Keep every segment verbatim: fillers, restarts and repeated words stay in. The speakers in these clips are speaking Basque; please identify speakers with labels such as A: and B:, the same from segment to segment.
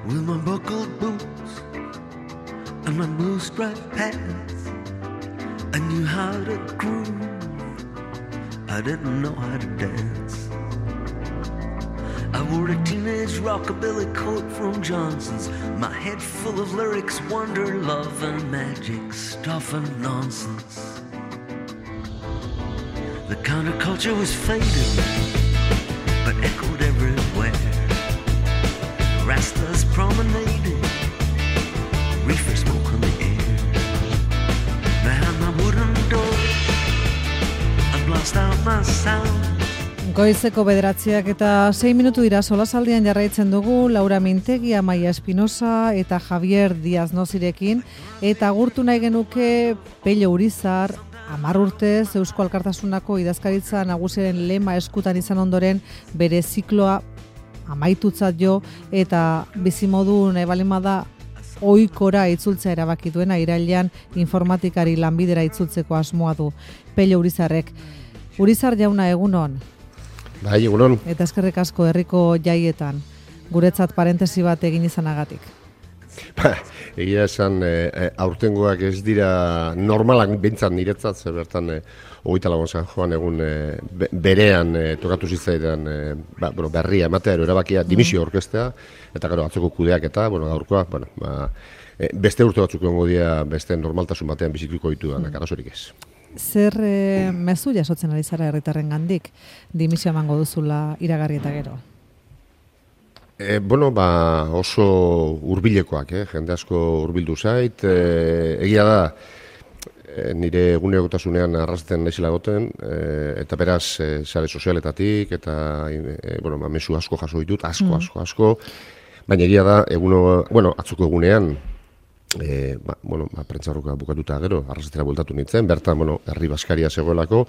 A: with my buckled boots and my blue striped pants. I knew how to groove, I didn't know how to dance. I wore a teenage rockabilly coat from Johnson's, my head full of lyrics, wonder, love and magic, stuff and nonsense. The counterculture was fading, but echoed everywhere. Rastas promenading, reefer smoke on the air. Behind my wooden door, I blast out my sound.
B: Goizeko bederatziak eta sei minutu dira solasaldian jarraitzen dugu Laura Mintegi, Amaia Espinosa eta Javier Diaz Nozirekin, eta agurtu nahi genuke Pello Urizar, hamar urtez Eusko Alkartasunako idazkaritza nagusiaren lema eskutan izan ondoren bere zikloa amaitutzat jo eta bizimodu nahi balimada ohikora itzultzea erabaki duena irailean informatikari lanbidera itzultzeko asmoa du Pello Urizarrek. Urizar jauna, egunon.
C: Bai, egunon.
B: Eta eskerrik asko herriko jaietan, guretzat parentesi bat egin izanagatik.
C: Ba, egia esan, e, aurtengoak ez dira normalak bintzat niretzat, zer bertan e, hogeita lagun San Joan egun e, be, berean e, tokatu zitzaidan e, ba, bueno, berria ematea, ero erabakia dimisio orkestea, eta gero atzoko kudeak eta, bueno, gaurkoa, bueno, ba, e, beste urte batzuk egongo dira beste normaltasun batean bizituko ditu da, mm. arazorik ez.
B: Zer e, mezu jasotzen ari zara herritarren gandik, dimisio emango duzula iragarri eta gero?
C: E, bueno, ba, oso hurbilekoak, eh? Jende asko hurbildu zait. E, egia da, e, nire egunerokotasunean arrasten naizela goten, e, eta beraz, e, sare sozialetatik, eta e, bueno, ba, mezu asko jaso ditut, asko, mm. asko, asko. Baina egia da, eguno, bueno, atzuko egunean, E, ba, bueno, ba, prentzarroka bukatuta gero, arrasatera bueltatu nintzen, bertan, bueno, herri baskaria zegoelako,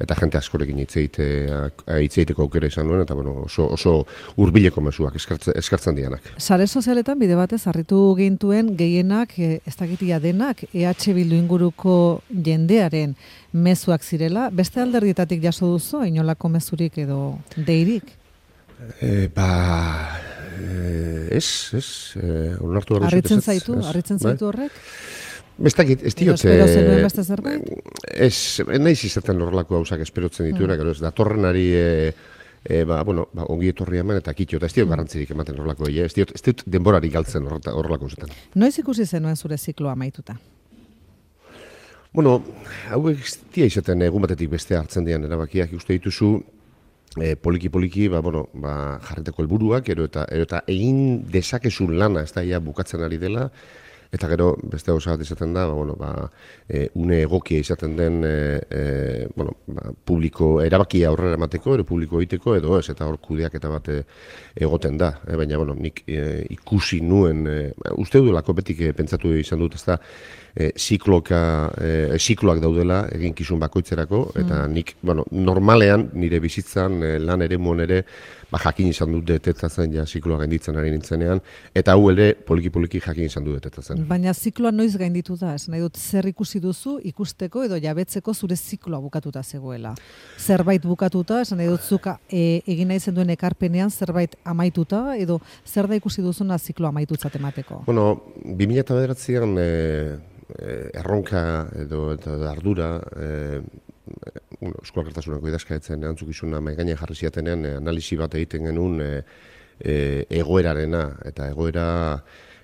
C: eta jente askorekin hitzeiteko aukera izan duen, eta bueno, oso, oso hurbileko mezuak eskartzen, eskartzen dianak.
B: Sare sozialetan bide batez harritu gintuen gehienak, e, ez dakitia denak, E H Bildu inguruko jendearen mezuak zirela, beste alderdietatik jaso duzu, inolako mezurik edo deirik?
C: E, ba... Eh, ez, ez, eh, onartu hori
B: Arritzen zaitu, arritzen zaitu horrek?
C: Ez dakit, ez diote...
B: Espero zenuen beste zerbait?
C: Ez, nahiz izaten horrelako hausak esperotzen dituena, mm. gero ez, datorrenari, e, e, ba, bueno, ba, ongi etorri eman eta kitxo, eta ez diot garrantzirik ematen horrelako, ez diot, ez diot denborari galtzen horrelako zetan.
B: Noiz ikusi zenuen zure zikloa amaituta?
C: Bueno, hau ez dia izaten egun batetik beste hartzen dian erabakiak, uste dituzu, E, poliki poliki ba, bueno, ba, jarreteko helburuak ero eta, ero eta egin dezakezun lana ez da ja bukatzen ari dela, eta gero beste gauza bat izaten da, ba, bueno, ba, e, une egokia izaten den e, e, bueno, ba, publiko erabakia aurrera emateko, ero publiko egiteko edo ez, eta hor kudeak eta bat egoten da, e, baina bueno, nik e, ikusi nuen, e, uste dudalako betik e, pentsatu izan dut, ez da, E, zikloka, e, zikloak daudela eginkizun bakoitzerako, eta mm. nik, bueno, normalean nire bizitzan e, lan ere muon ere, ba, jakin izan dut detetatzen ja zikloa gainditzen ari nintzenean, eta hau ere poliki-poliki jakin izan dut detetatzen.
B: Baina zikloa noiz gainditu da, ez nahi dut zer ikusi duzu ikusteko edo jabetzeko zure zikloa bukatuta zegoela. Zerbait bukatuta, esan nahi dut zuka e, egin nahi zen duen ekarpenean zerbait amaituta, edo zer da ikusi duzuna zikloa amaitutzat emateko?
C: Bueno, bi mila bederatzian e, erronka edo eta ardura e, bueno, Eusko Alkartasunako idazkaritzaren erantzukizuna mahai gainean jarri ziatenean e, analisi bat egiten genuen e, e, egoerarena eta egoera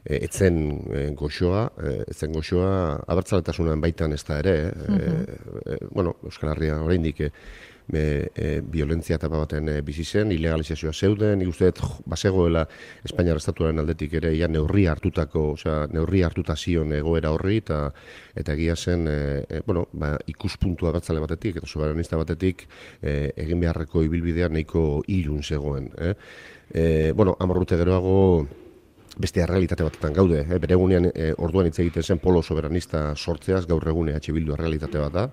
C: e, etzen e, goxoa, e, etzen goxoa abertzaletasunan baitan ez da ere, e, mm-hmm. e, bueno, Euskal Herria oraindik e, E, e, violentzia etapa baten e, bizi zen, ilegalizazioa zeuden, nik uste dut bazegoela Espainiar Estatuaren aldetik ere ja neurri hartutako, osea, neurri hartuta zion egoera horri, eta eta egia zen, e, e, bueno, ba, ikuspuntua batzale batetik, eta soberanista batetik, e, egin beharreko ibilbidea nahiko ilun zegoen. Eh? E, bueno, hamar urte geroago, beste errealitate batetan gaude, eh? Bere egunean e, orduan hitz egiten zen polo soberanista sortzeaz, gaur egun E H Bildu errealitate bat da,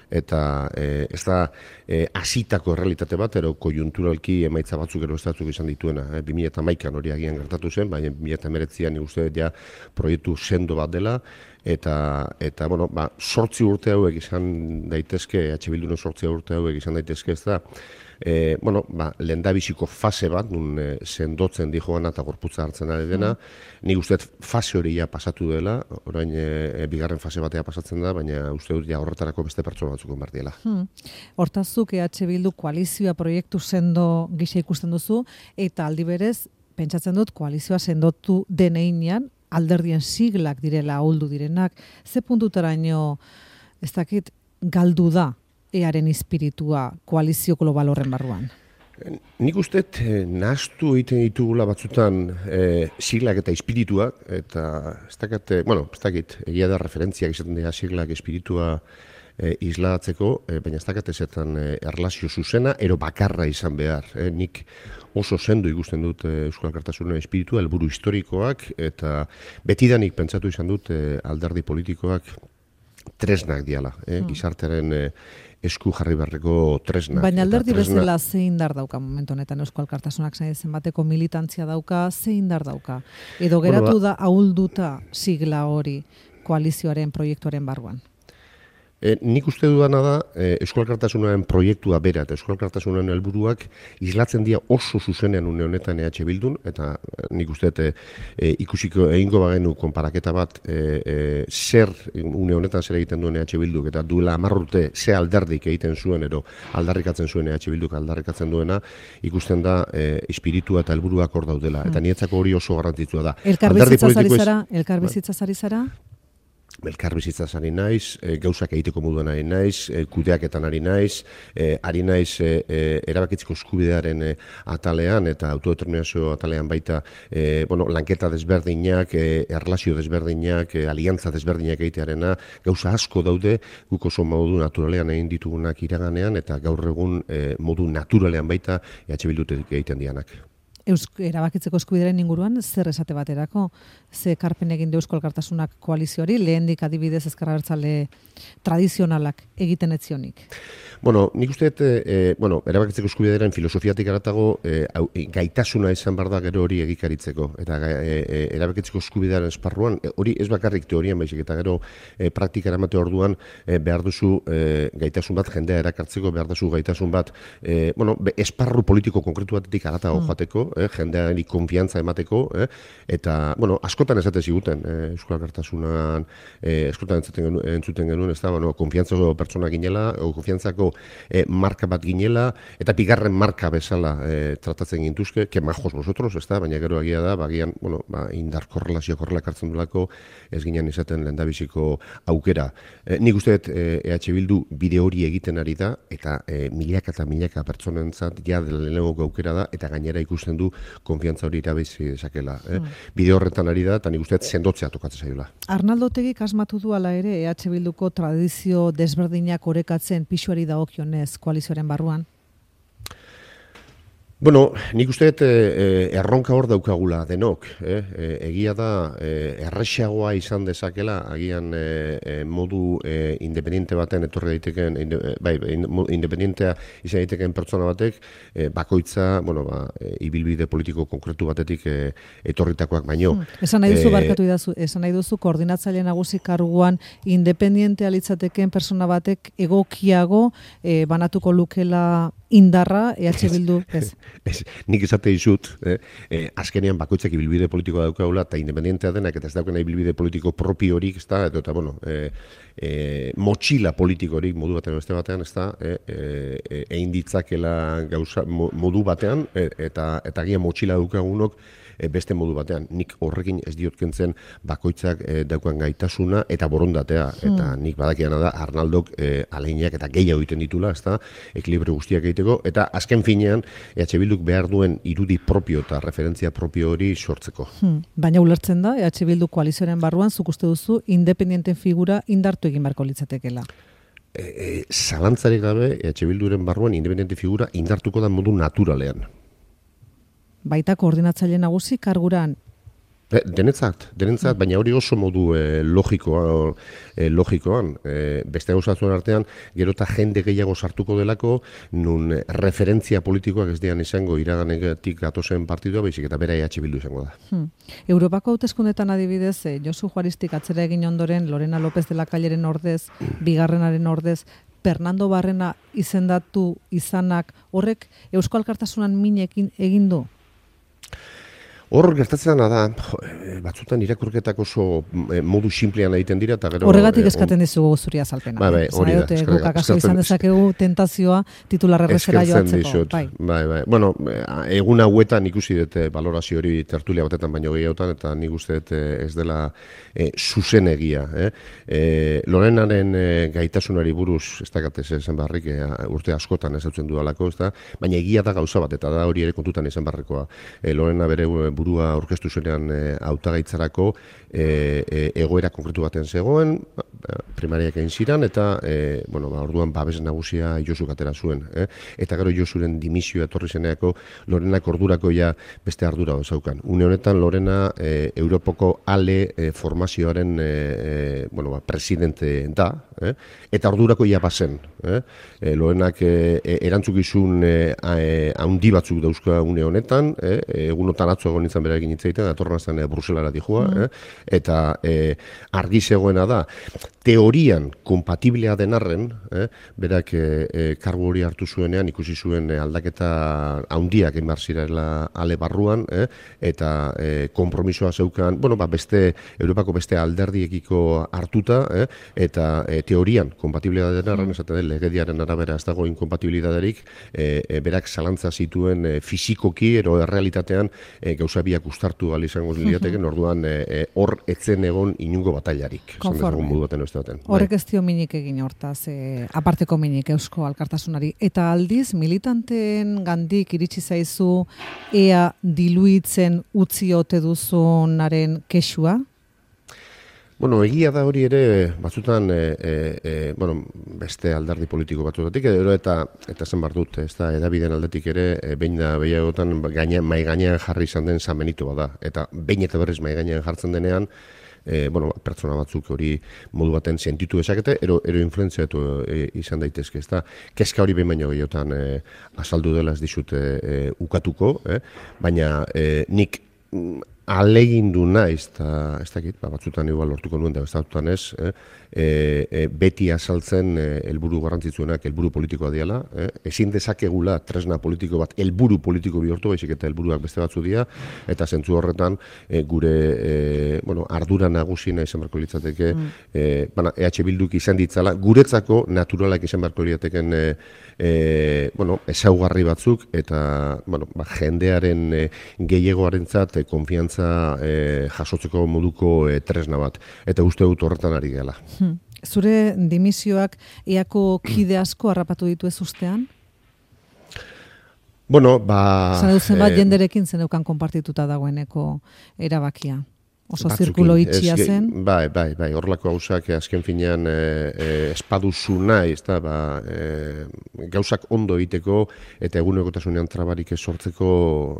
C: eta e, ez da e, hasitako errealitate bat, ero konjunturalki emaitza batzuk ero estatzuk izan dituena. E, bi mila hamaikan hori agian gertatu zen, baina bi mila hemeretzian nik uste ja proiektu sendo bat dela, eta, eta bueno, ba, sortzi urte hauek izan daitezke, E H Bilduren sortzi urte hauek izan daitezke, ez da, e, bueno, ba, lehendabiziko fase bat, nun e, sendotzen di joana eta gorputza hartzen ari dena, mm. nik uste fase hori ja pasatu dela, orain e, bigarren fase batea pasatzen da, baina uste dut ja horretarako beste pertsona batzuk behar diela.
B: Hmm. Hortazuk E H Bildu koalizioa proiektu sendo gisa ikusten duzu, eta aldi berez, pentsatzen dut koalizioa sendotu deneinean, alderdien siglak direla ahuldu direnak, ze puntutaraino, ez dakit, galdu da earen espiritua koalizio global horren barruan?
C: Nik uste eh, nahastu egiten ditugula batzutan eh, siglak eta espirituak, eta ez dakit, eh, bueno, ez dakit, egia da referentziak izaten dira siglak espiritua eh, islatzeko, eh, baina ez dakit ezetan eh, erlazio zuzena, ero bakarra izan behar. Eh, nik oso sendo ikusten dut eh, Euskal Alkartasunen espiritua, helburu historikoak, eta betidanik pentsatu izan dut eh, alderdi politikoak tresnak diala, eh, hmm. gizartearen eh, esku jarri beharreko tresnak.
B: Baina alderdi tresna... bezala ze indar dauka momentu honetan Eusko Alkartasunak zen bateko militantzia dauka, ze indar dauka? Edo geratu bueno, da ahulduta sigla hori koalizioaren proiektuaren barruan?
C: E, nik uste dudana da e, Eusko Alkartasunaren proiektua bera eta Eusko Alkartasunaren helburuak islatzen dira oso zuzenean une honetan E H Bildun, eta nik uste e, e, ikusiko egingo bagenu konparaketa bat e, e, zer une honetan zer egiten duen E H Bilduk, eta duela hamar urte ze alderdik egiten zuen ero aldarrikatzen zuen E H Bilduk aldarrikatzen duena, ikusten da e, espiritua eta helburuak hor daudela, eta nietzako hori oso garrantzitsua da.
B: Elkarbizitzaz ari zara? Elkarbizitzaz ari zara?
C: Elkarbizitzaz ari naiz, e, gauzak egiteko moduan ari naiz, e, kudeaketan ari naiz, e, ari naiz e, e, erabakitzeko eskubidearen e, atalean eta autodeterminazio atalean baita e, bueno, lanketa desberdinak, e, erlazio desberdinak, e, aliantza desberdinak egitearena, gauza asko daude, guk oso modu naturalean egin ditugunak iraganean, eta gaur egun e, modu naturalean baita E H Bildutik egiten dianak.
B: Eusk, erabakitzeko eskubidearen inguruan, zer esate baterako, ze karpen egin du Eusko Alkartasunak koalizioari, lehendik adibidez Ezker Abertzale tradizionalak egiten etzionik?
C: Bueno, nik uste, e, bueno, erabakitzeko eskubidearen filosofiatik aratago e, gaitasuna izan behar da gero hori egikaritzeko. Eta e, e, erabakitzeko eskubidearen esparruan, e, hori ez bakarrik teorian baizik, eta gero e, praktika eramate orduan e, behar duzu e, gaitasun bat jendea erakartzeko, behar duzu gaitasun bat, e, bueno, be, esparru politiko konkretu batetik aratago mm. joateko, eh, jendeari konfiantza emateko, eh, eta, bueno, askotan esate ziguten, eh, Euskal Alkartasunan, eh, askotan entzuten genuen, entzuten genuen, ez da, bueno, konfiantzako pertsona ginela, o konfiantzako eh, marka bat ginela, eta bigarren marka bezala eh, tratatzen gintuzke, que majos nosotros, ez da, baina gero agia da, bagian, bueno, ba, indar korrelazio korrelak hartzen dulako, ez ginen izaten lehendabiziko aukera. Eh, nik uste dut eh, E H Bildu bide hori egiten ari da, eta eh, milaka eta milaka pertsonentzat ja lehenengo aukera da, eta gainera ikusten du konfiantza hori irabizi dezakela. Eh? Mm. Bide horretan ari da, eta nik uste sendotzea tokatzen zaiola.
B: Arnaldo Otegik asmatu du ala ere E H Bilduko tradizio desberdinak orekatzen pisuari dagokionez koalizioaren barruan?
C: Bueno, nik uste e, erronka hor daukagula denok. Eh? E, egia da e, errexagoa izan dezakela, agian e, e, modu e, independiente baten etorri daiteken, inde, bai, independentea izan daiteken pertsona batek, e, bakoitza, bueno, ba, e, ibilbide politiko konkretu batetik e, etorritakoak baino. Hmm.
B: Esan nahi duzu, e, barkatu idazu, esan nahi duzu, koordinatzaile nagusi karguan independentea litzateken pertsona batek egokiago e, banatuko lukela indarra, E H Bildu, ez?
C: Ez, nik esate dizut, eh, eh, azkenean bakoitzak ibilbide politikoa daukagula, eta independentea denak, eta ez daukena ibilbide politiko propio horik, ez da, eta, eta bueno, eh, eh, motxila politiko horik modu batean, beste batean, ez da, eh, eh, egin ditzakela gauza, modu batean, eh, eta, eta agian motxila daukagunok, beste modu batean. Nik horrekin ez diot kentzen bakoitzak e, daukan gaitasuna eta borondatea. Hmm. Eta nik badakiana da Arnaldok e, aleinak eta gehiago egiten ditula, ezta, ekilibrio guztiak egiteko, eta azken finean E H Bilduk behar duen irudi propio eta referentzia propio hori sortzeko.
B: Hmm. Baina ulertzen da, E H Bildu koalizioaren barruan, zuk uste duzu, independenten figura indartu egin beharko litzatekeela.
C: E, e, zalantzarik gabe, E H Bilduren barruan independente figura indartuko da modu naturalean.
B: Baita koordinatzaile nagusi karguran.
C: Denetzat, denetzat, baina hori oso modu e, logikoa, e, logikoan. E, beste gauzatzen artean, gero eta jende gehiago sartuko delako, nun referentzia politikoak ez dian izango iraganetik gatozen partidua, baizik eta bera E H Bildu izango da.
B: Hmm. Europako hauteskundetan adibidez, eh, Josu Juaristik atzera egin ondoren, Lorena López de la Calleren ordez, bigarrenaren ordez, Fernando Barrena izendatu izanak horrek Eusko Alkartasunan minekin egin du?
C: Hor gertatzen da, batzutan irakurketak oso modu simplean egiten dira, eta gero...
B: Horregatik eskaten dizugu zuri azalpena.
C: Bai, bai, hori da.
B: Guk akaso izan dezakegu tentazioa titularregresera joatzeko.
C: Bai, bai, bai. Bueno, egun hauetan ikusi dut balorazio hori tertulia batetan baino gehiagotan, eta nik uste dut ez dela e, zuzen egia. Eh? E, Lorenaren e, gaitasunari buruz, ez dakatez esan barrik, e, urte askotan ezautzen dudalako, ez da? Baina egia da gauza bat, eta da hori ere kontutan izan barrekoa. E, Lorena bere burua aurkeztu zenean hautagaitzarako e, e, egoera konkretu baten zegoen, primariak egin ziren, eta e, bueno, ba, orduan babes nagusia Josuk atera zuen. Eh? Eta gero Josuren dimisioa etorri zeneako Lorenak ordurako ja beste ardura zaukan. Une honetan Lorena e, Europako ale e, formazioaren e, e, bueno, ba, presidente da, eh? Eta ordurako ja bazen. Eh? E, Lorenak e, erantzukizun e, handi batzuk dauzka une honetan, eh? Egunotan atzo egon nintzen berarekin hitzaiten, datorren astean e, Bruselara dijoa, mm. eh? Eta e, argi zegoena da, teorian kompatiblea den arren, eh? Berak e, e, kargu hori hartu zuenean, ikusi zuen e, aldaketa handiak egin behar zirela ale barruan, eh? Eta e, konpromisoa zeukan, bueno, ba, beste, Europako beste alderdiekiko hartuta, eh? Eta e, teorian kompatiblea den arren, esaten den legediaren arabera ez dago inkompatibilidaderik, e, e, berak zalantza zituen e, fizikoki, ero errealitatean e, gauza biak ustartu gali izango lirateken, orduan hor e, etzen egon inungo batailarik.
B: Konforme. Horrek ez dio minik egin hortaz, e, aparteko minik Eusko Alkartasunari. Eta aldiz, militanteen gandik iritsi zaizu ea diluitzen utzi ote duzunaren kexua?
C: Bueno, egia da hori ere, batzutan, e, e, bueno, beste alderdi politiko batzutatik, edo eta eta zen bar dut, ez da, edabideen aldetik ere, e, behin da behiagotan gaine, mai gainean jarri izan den Samenitu bada. Eta behin eta berriz mai gainean jartzen denean, e, bueno, pertsona batzuk hori modu baten sentitu ezakete, ero, ero influenziatu e, izan daitezke, ez da. Kezka hori behin baino gehiotan e, azaldu dela ez dizut e, e, ukatuko, eh? Baina e, nik alegindu naiz, eta ez dakit, ba, batzutan igual lortuko nuen da bestatutan ez, eh? e, e, beti azaltzen helburu garrantzitsuenak helburu politikoa diala, eh? Ezin dezakegula tresna politiko bat helburu politiko bihurtu, baizik eta helburuak beste batzu dira, eta zentzu horretan e, gure e, bueno, ardura nagusina izan beharko litzateke, mm. e, bana, E H Bilduk izan ditzala, guretzako naturalak izan beharko litzateken e, e, bueno, ezaugarri batzuk, eta bueno, ba, jendearen e, gehiagoarentzat e, konfiantza E, jasotzeko moduko e, tresna bat. Eta uste dut horretan ari gela.
B: Hmm. Zure dimisioak eako kide asko harrapatu ditu ez ustean?
C: Bueno, ba...
B: Zan duzen bat eh, jenderekin zeneukan konpartituta dagoeneko erabakia. Oso zirkulo itxia zen.
C: Bai, bai, bai, horrelako gauzak azken finean e, e, espaduzu nahi, ez da, ba, e, gauzak ondo egiteko eta egunerokotasunean trabarik ez sortzeko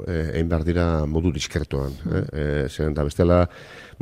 C: e, egin behar dira modu diskretoan. Mm. Eh? E, zeren da bestela,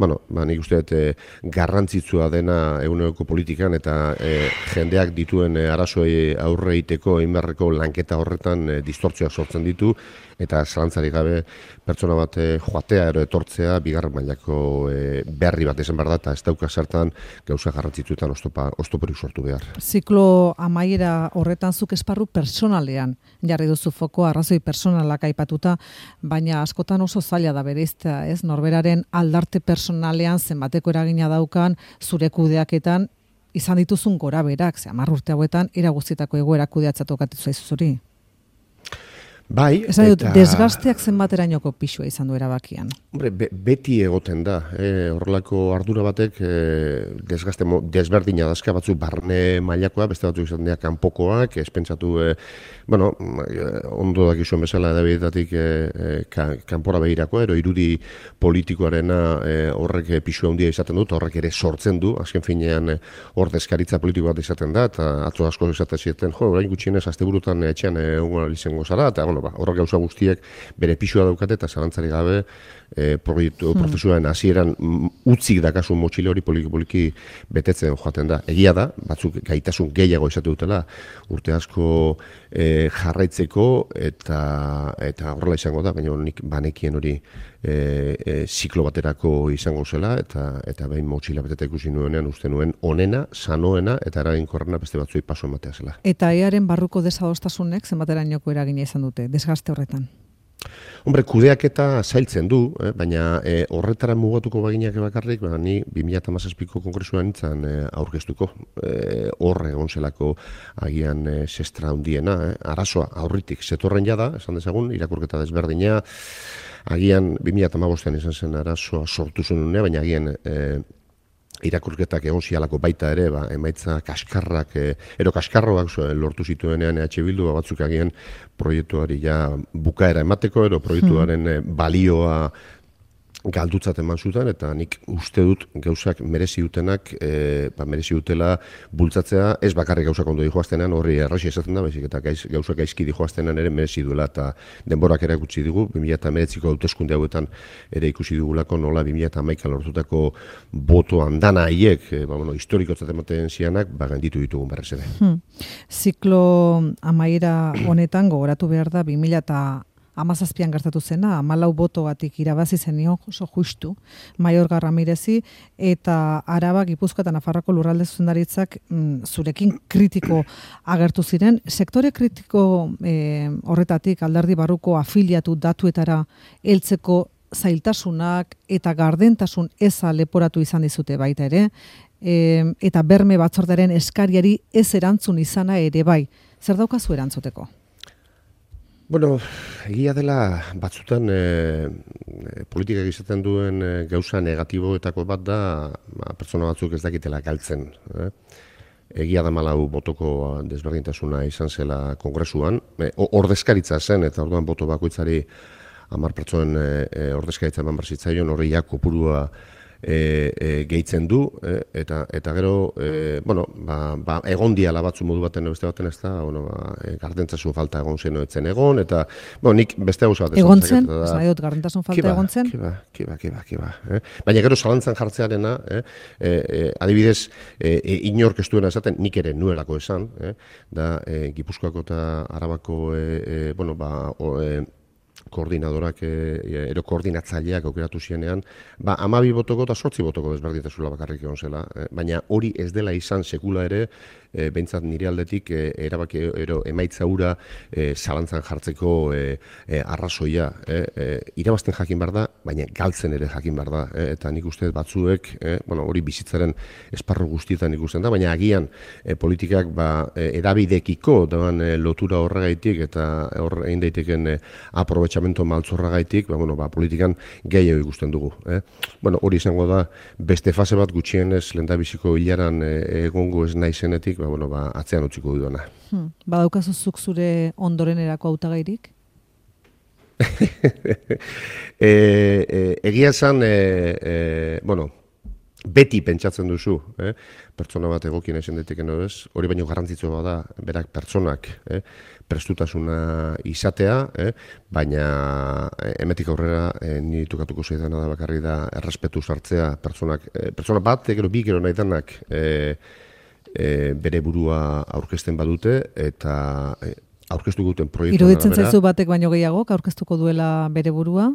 C: bueno, ba, nik uste dut e, garrantzitsua dena eguneroko politikan eta e, jendeak dituen e, arazoei aurre egiteko egin beharreko lanketa horretan e, distortzioak sortzen ditu, eta zalantzarik gabe pertsona bat e, joatea ero etortzea bigarren mailako e, berri bat izan behar da, eta ez dauka zertan gauza garrantzitsuetan oztoporik sortu behar.
B: Ziklo amaiera horretan zuk esparru personalean jarri duzu foko, arrazoi personalak aipatuta, baina askotan oso zaila da bereiztea, ez? Norberaren aldarte personalean zenbateko eragina daukan zure kudeaketan izan dituzun gora berak, ze hamar urte hauetan era guztietako egoera kudeatza tokatu zaizu zuri.
C: Bai,
B: esan dut, eta... desgasteak zenbaterainoko pisua izan du erabakian.
C: Hombre, be, beti egoten da. E, horrelako ardura batek e, desgaste desberdina dazka batzuk barne mailakoa, beste batzuk izan dira kanpokoak, espentsatu, e, bueno, ondo dakizuen bezala edabidetatik e, e, ka, kanpora behirako, ero irudi politikoarena e, horrek pisua handia izaten dut, horrek ere sortzen du, azken finean hor deskaritza politiko bat izaten da, eta atzo asko izaten zieten, jo, orain gutxienez asteburutan etxean egun izango zara, eta bueno, ba, horrek gauza guztiek bere pisua daukate eta zalantzari gabe e, proiektu hmm. prozesuaren hasieran utzik dakasun motxile hori poliki-poliki betetzen joaten da. Egia da, batzuk gaitasun gehiago izate dutela urte asko e, jarraitzeko eta eta horrela izango da, baina nik banekien hori e, e, ziklo baterako izango zela eta eta behin motxila beteta ikusi nuenean uste nuen onena, sanoena eta eraginkorrena beste batzuei paso ematea zela.
B: Eta earen barruko desadostasunek zenbaterainoko eragina izan dute, desgaste horretan?
C: Hombre, kudeaketa zailtzen du, eh, baina eh, horretara mugatuko baginak bakarrik, ba, ni bi mila hamazazpiko kongresuan nintzen eh, aurkeztuko. Eh, horre egon zelako agian eh, sestra handiena, eh, arazoa aurritik zetorren jada, esan dezagun, irakurketa desberdina, agian bi mila hamabostean izan zen arazoa sortu zen unea, baina agian eh, irakurketak egon zialako baita ere, ba, emaitza kaskarrak, e, ero kaskarroak so, lortu zituenean E H Bildu, ba, batzuk agian proiektuari ja bukaera emateko, ero proiektuaren e, balioa galdutzat eman zuten, eta nik uste dut gauzak merezi dutenak, e, ba, merezi dutela bultzatzea, ez bakarrik gauzak ondo dijoaztenan, horri erraxi esaten da, baizik eta gaiz, gauzak gaizki dijoaztenan ere merezi duela, eta denborak ere gutxi digu, bi mila hemeretziko hauteskunde hauetan ere ikusi dugulako nola bi mila hamaika lortutako boto andana haiek, e, ba, bueno, historikotzat ematen zianak, ba, ganditu ditugun berrez ere.
B: Hmm. Ziklo amaiera honetan gogoratu behar da bi mila hamazazpian gertatu zena, hamalau botogatik irabazi zenio oso justu Maiorga Ramirezi, eta Araba, Gipuzkoa eta Nafarroako lurralde zuzendaritzak mm, zurekin kritiko agertu ziren. Sektore kritiko e, horretatik alderdi barruko afiliatu datuetara heltzeko zailtasunak eta gardentasun eza leporatu izan dizute baita ere, e, eta berme batzordaren eskariari ez erantzun izana ere bai. Zer daukazu erantzuteko?
C: Bueno, egia dela batzutan e, politikak izaten duen e, gauza negatiboetako bat da ba, pertsona batzuk ez dakitela galtzen. Eh? Egia da malau botoko desberdintasuna izan zela kongresuan, e, ordezkaritza zen eta orduan boto bakoitzari hamar pertsonen e, ordezkaritza eman barzitzaion horri ja kopurua E, e, gehitzen du, e, eta eta gero, e, bueno, ba, ba, egon diala batzu modu baten beste baten ez da, bueno, ba, e, gardentasun falta egon zen etzen egon, eta, bueno, nik beste gauza bat
B: egon zen, ez nahi dut, gardentasun falta
C: kiba,
B: egon zen?
C: Kiba, kiba, kiba, kiba. Eh? Baina gero zalantzan jartzearena, eh? e, e, adibidez, e, e, inork ez duena esaten, nik ere nuelako esan, eh? da e, Gipuzkoako eta Arabako, e, e, bueno, ba, o, e, koordinadorak, e, ero koordinatzaileak aukeratu zienean, ba, amabi botoko eta sortzi botoko desberdintasuna bakarrik egon zela. E, baina hori ez dela izan sekula ere, e, behintzat nire aldetik, e, erabaki ero emaitza hura e, zalantzan jartzeko e, e, arrazoia. E, e, irabazten jakin behar da, baina galtzen ere jakin behar da. E, eta nik uste batzuek, e, bueno, hori bizitzaren esparru guztietan ikusten da, baina agian e, politikak ba, e, edabidekiko dagoen e, lotura horregaitik eta hor egin daiteken e, aprobetxamento maltzorragaitik, ba, bueno, ba, politikan gehiago ikusten dugu. Eh? Bueno, hori izango da, beste fase bat gutxienez lehendabiziko hilaran e, egongo ez naizenetik, ba, bueno, ba, atzean utziko duena.
B: Hmm. Badaukazu zuk zure ondorenerako hautagairik?
C: e, e, egia esan, e, e, bueno, beti pentsatzen duzu, eh? pertsona bat egokien esan daiteken ez, hori baino garrantzitsua da, berak pertsonak, eh? prestutasuna izatea, eh? baina emetik aurrera eh, niri tukatuko zaidana da bakarri da errespetu sartzea pertsonak, eh, pertsona bat, gero bi gero nahi danak eh, eh, bere burua aurkezten badute, eta eh, aurkeztu guten proiektu.
B: Iruditzen zaizu batek baino gehiago, aurkeztuko duela bere burua?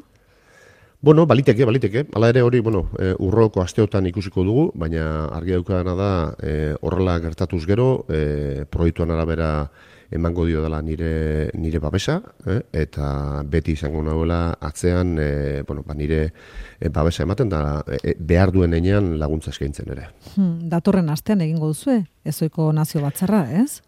C: Bueno, baliteke, baliteke. Hala ere hori, bueno, e, urroko asteotan ikusiko dugu, baina argi daukadana da e, horrela gertatuz gero, e, proiektuan arabera emango dio dela nire nire babesa, eh? eta beti izango nagoela atzean, e, bueno, ba, nire e, babesa ematen da e, behar duen enean laguntza eskaintzen ere.
B: Hmm, datorren astean egingo duzue, ezoiko nazio batzarra, ez?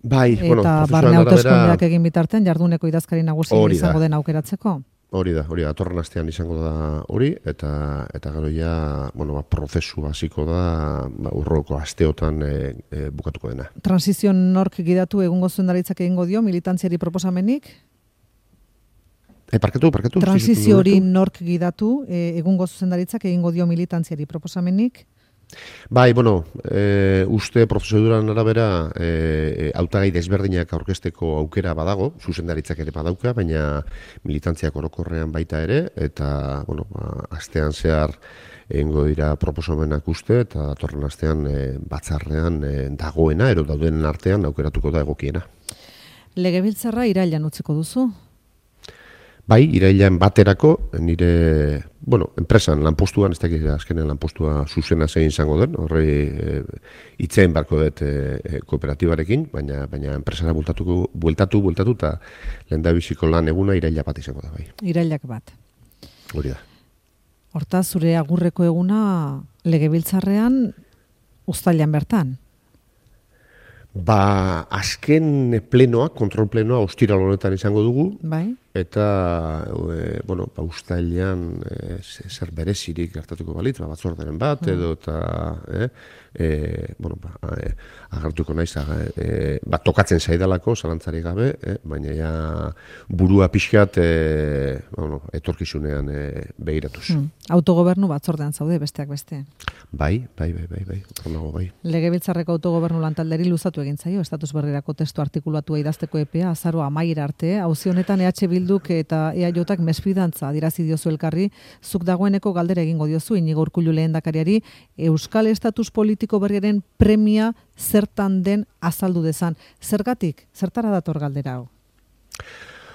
C: Bai,
B: eta
C: bueno,
B: barne hauteskundeak egin bitartean jarduneko idazkari nagusi izango den aukeratzeko.
C: Hori da, hori da, datorren astean izango da hori, eta eta gero ja, bueno, ba, prozesu hasiko da, ba, urroko asteotan e, e, bukatuko dena.
B: Transizio nork gidatu egungo zuzendaritzak egingo dio, militantziari proposamenik?
C: E, parkatu, parkatu.
B: Transizio hori nork gidatu, e, egungo zuzendaritzak egingo dio militantziari proposamenik?
C: Bai, bueno, e, uste prozeduran arabera e, hautagai desberdinak aurkezteko aukera badago, zuzendaritzak ere badauka, baina militantziak orokorrean baita ere, eta, bueno, ba, astean zehar egingo dira proposamenak uste, eta datorren astean e, batzarrean e, dagoena, ero daudenen artean aukeratuko da egokiena.
B: Legebiltzarra irailan utziko duzu?
C: Bai, irailan baterako, nire, bueno, enpresan lanpostuan, ez dakit azkenen lanpostua zuzena zein izango den, horre e, itzein barko dut e, kooperatibarekin, baina baina enpresara bultatuko, bueltatu, bueltatu, eta lehendabiziko lan eguna iraila bat izango da, bai.
B: Irailak bat.
C: Hori da.
B: Hortaz, zure agurreko eguna legebiltzarrean uztailean bertan?
C: Ba, azken plenoa, kontrol plenoa, ostiral honetan izango dugu.
B: Bai.
C: Eta, e, bueno, ba, uztailean e, zer berezirik gertatuko balitz, ba, batzorderen bat, edo, eta, e, e, bueno, ba, e, agartuko naiz, e, ba, tokatzen zaidalako, zalantzari gabe, e, baina ja burua pixkat, e, bueno, etorkizunean e, begiratuz.
B: Hmm. Autogobernu batzordean zaude, besteak beste.
C: Bai, bai, bai, bai, bai, horrenago bai.
B: Legebiltzarreko autogobernu lantalderi luzatu egin zaio, estatus berrirako testu artikulatua idazteko epea, azaro amaiera arte, auzi honetan E H Bilduk eta E A Jak mesfidantza adirazi diozu elkarri, zuk dagoeneko galdera egingo diozu Inigo Urkullu lehendakariari, Euskal estatus politiko berriaren premia zertan den azaldu dezan. Zergatik, zertara dator galdera hau?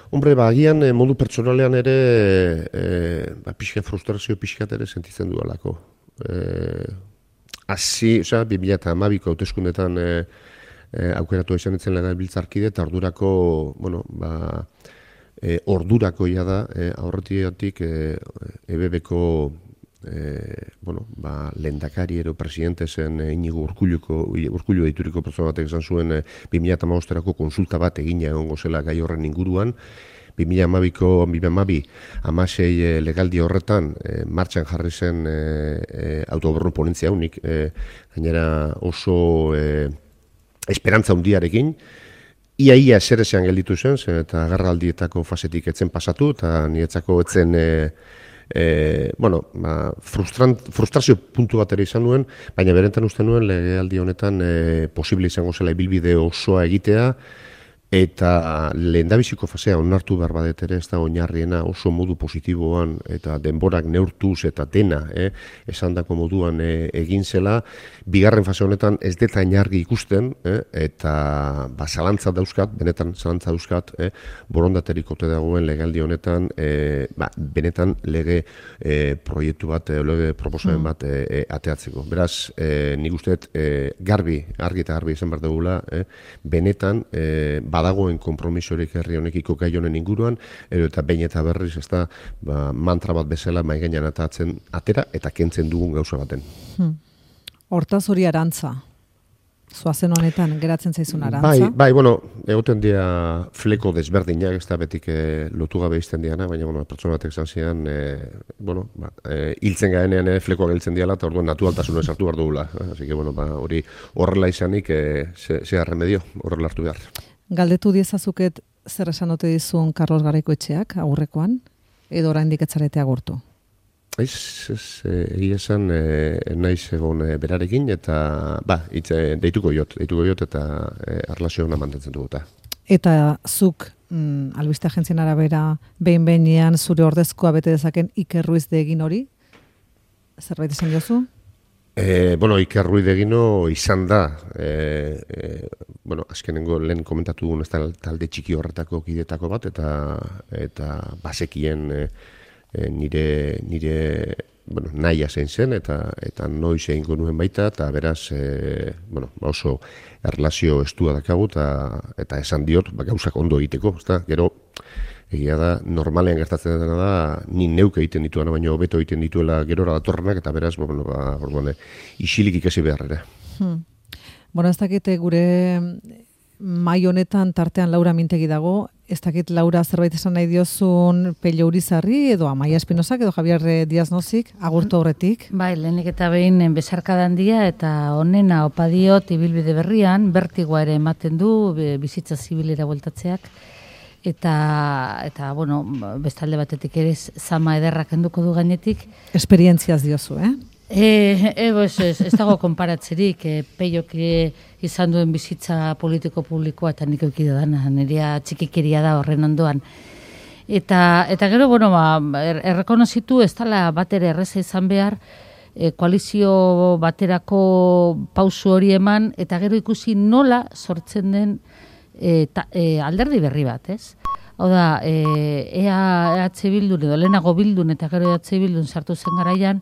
C: Hombre, ba, agian eh, modu pertsonalean ere eh, ba, pixka frustrazio pixkat ere sentitzen dualako. Eh, Asi, osea, bi mila hamabiko hauteskundetan eh, eh, aukeratu izan etzen legebiltzarkide eta ordurako, bueno, ba, eh, ordurako ia da, eh, aurretiatik eh, E B Bko eh, bueno, ba, lehendakari ero presidente zen eh, Inigo Urkulluko, Urkullu deituriko pertsona batek izan zuen eh, bi mila hamabosterako konsulta bat egina egongo zela gai horren inguruan, bi mila hamabiko, bi mila hamabi, hamasei e, legaldi horretan e, martxan jarri zen e, e, autogobernu ponentzia unik, e, gainera oso e, esperantza hundiarekin, ia-ia ezer ezean gelditu zen, zen eta agarraldietako fasetik etzen pasatu, eta niretzako etzen, e, e, bueno, ba, frustrazio puntu bat ere izan nuen, baina berentan uste nuen legealdi honetan e, posible izango zela ibilbide osoa egitea, eta lehendabiziko fasea onartu behar badet ere, ez da oinarriena oso modu positiboan eta denborak neurtuz eta dena eh, esandako moduan eh, egin zela, bigarren fase honetan ez deta inargi ikusten eh, eta ba, zalantza dauzkat, benetan zalantza dauzkat, eh, borondaterik ote dagoen legaldi honetan, eh, ba, benetan lege eh, proiektu bat, eh, lege proposamen bat eh, eh, ateatzeko. Beraz, eh, nik usteet eh, garbi, argi eta garbi izan behar dugula, eh, benetan eh, badagoen konpromisorik herri honekiko gai honen inguruan, edo eta behin eta berriz, ez da, ba, mantra bat bezala mai gainean atatzen atera eta kentzen dugun gauza baten.
B: Hmm. Hortaz hori arantza. Zoazen honetan, geratzen zaizun arantza?
C: Bai, bai, bueno, egoten dira fleko desberdinak, ez da betik e, lotu gabe izten diana, baina, bueno, pertsona batek izan zian, e, bueno, ba, e, hiltzen gaenean e, flekoa geltzen diala, eta orduan naturaltasuna esartu behar dugula. Eh? Así que, bueno, ba, hori horrela izanik, e, ze, ze remedio, horrela hartu behar.
B: Galdetu diezazuket zer esan ote dizun Carlos Garaikoetxeak aurrekoan, edo oraindik ez zarete agurtu?
C: Ez, ez, egia esan e, naiz egon e, berarekin, eta ba, itze, deituko jot, deituko jot, eta e, arlazio hona mantentzen duguta.
B: Eta zuk, mm, albiste agentzien arabera, behin-behinean zure ordezkoa bete dezaken Iker Ruiz de egin hori? Zerbait esan jozu?
C: E, bueno, Iker Ruiz de Egino izan da, e, e, bueno, azkenengo lehen komentatu dugun ez talde txiki horretako kidetako bat, eta eta basekien e, e, nire, nire bueno, nahia zein zen, eta eta noiz egingo nuen baita, eta beraz, e, bueno, oso erlazio estua dakagu, eta, eta esan diot, ba, gauzak ondo egiteko, ezta? Gero, egia da, normalean gertatzen dena da, ni neuk egiten dituena, baina hobeto egiten dituela gerora datorrenak, eta beraz, bueno, ba, orduan, isilik ikasi beharrera.
B: Hmm. Bueno, ez dakite gure mai honetan tartean Laura Mintegi dago, ez dakit Laura zerbait esan nahi diozun Pello Urizarri, edo Amaia Espinosak, edo Javier Díaz Nozik, agurtu horretik.
D: Bai, lehenik eta behin besarkadan dia, eta honena opadiot ibilbide berrian, bertigoa ere ematen du, bizitza zibilera bueltatzeak, eta, eta bueno, bestalde batetik ere zama ederrak enduko du gainetik.
B: Esperientziaz diozu, eh?
D: E, e, ez, ez, ez dago konparatzerik, e, Peiok izan duen bizitza politiko publikoa eta nik eukide dana, nirea txikikeria da horren ondoan. Eta, eta gero, bueno, ba, er, errekonozitu ez dela bat ere erreza izan behar, e, koalizio baterako pausu hori eman, eta gero ikusi nola sortzen den e, ta, e, alderdi berri bat, ez? Hau da, e, ea E H Bildun edo lehenago Bildun eta gero E H Bildun sartu zen garaian,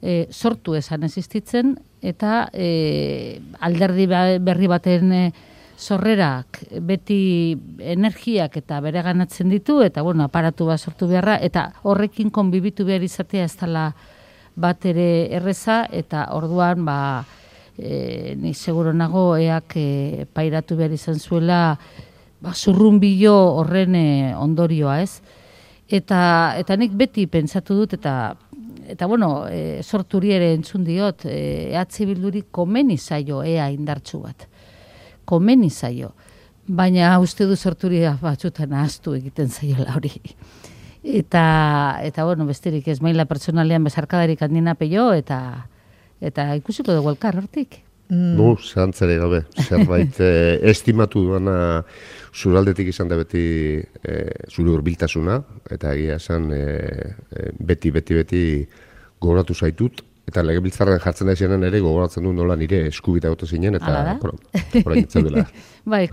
D: e, sortu esan existitzen, eta e, alderdi berri baten e, sorrerak beti energiak eta bere ganatzen ditu, eta bueno, aparatu bat sortu beharra, eta horrekin konbibitu behar izatea ez dela bat ere erreza, eta orduan, ba, e, ni seguro nago eak e, pairatu behar izan zuela, ba, zurrunbilo horren e, ondorioa, ez? Eta, eta nik beti pentsatu dut, eta eta bueno, e, sorturi ere entzun diot, e, E H Bilduri komeni zaio ea indartsu bat. Komeni zaio. Baina uste du sorturi batzutan ahaztu egiten zaiola hori. Eta, eta bueno, besterik ez maila pertsonalean bezarkadarik handina Peio, eta, eta ikusiko dugu elkar hortik.
C: Mm. No, zehantzere gabe, zerbait eh, estimatu duana zuraldetik izan da beti eh, zure hurbiltasuna, eta egia esan eh, beti, beti, beti gogoratu zaitut, eta legebiltzarren jartzen da izanen ere gogoratzen du nola nire eskubita gote zinen, eta orain etzaudela.
D: Bai,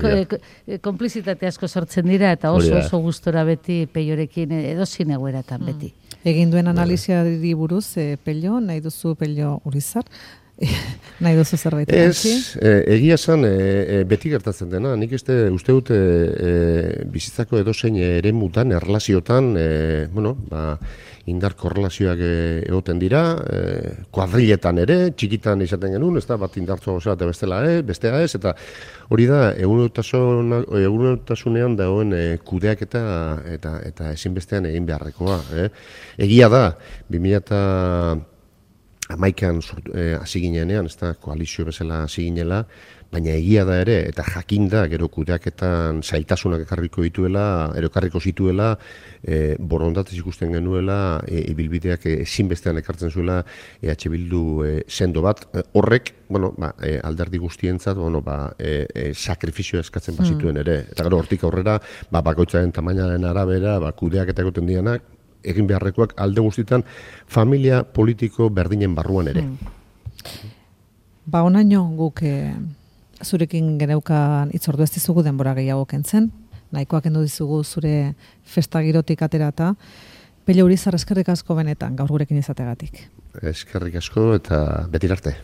D: konplizitate asko sortzen dira, eta oso oso gustora beti Peiorekin edo zinegoeratan mm. beti.
B: Egin duen analiziari buruz, eh, Peio, nahi duzu Peio Urizar, nahi duzu zerbait.
C: Ez, e, egia esan e, e, beti gertatzen dena, nik este, uste dut e, e, bizitzako edozein eremutan, erlaziotan, e, bueno, ba, indar korrelazioak egoten dira, e, kuadriletan ere, txikitan izaten genuen, ez da, bat indartzoa gozera eta bestela ez, bestea ez, eta hori da, egunotasunean dagoen e, kudeak eta, eta, eta ezinbestean egin beharrekoa. Eh? Egia da, bi mila hamaikan hasi ginenean, ez da, koalizio bezala hasi ginela, baina egia da ere, eta jakinda, gero kudeaketan zailtasunak ekarriko dituela, erokarriko zituela, e, borondatez ikusten genuela, e, ibilbideak ezinbestean ekartzen zuela E H Bildu e, sendo bat, e, horrek, bueno, ba, e, alderdi guztientzat, bueno, ba, e, e, sakrifizioa eskatzen bazituen ere, eta gero hortik aurrera, ba, bakoitzaren tamainaren arabera, ba, kudeaketa egoten dianak, egin beharrekoak alde guztietan familia politiko berdinen barruan ere.
B: Hmm. Ba, onaino guk e, zurekin geneukan itzordu ez dizugu denbora gehiago kentzen, nahikoak kendu dizugu zure festagirotik aterata. Peio Urizar, eskerrik asko benetan gaur gurekin izategatik.
C: Eskerrik asko eta betir arte.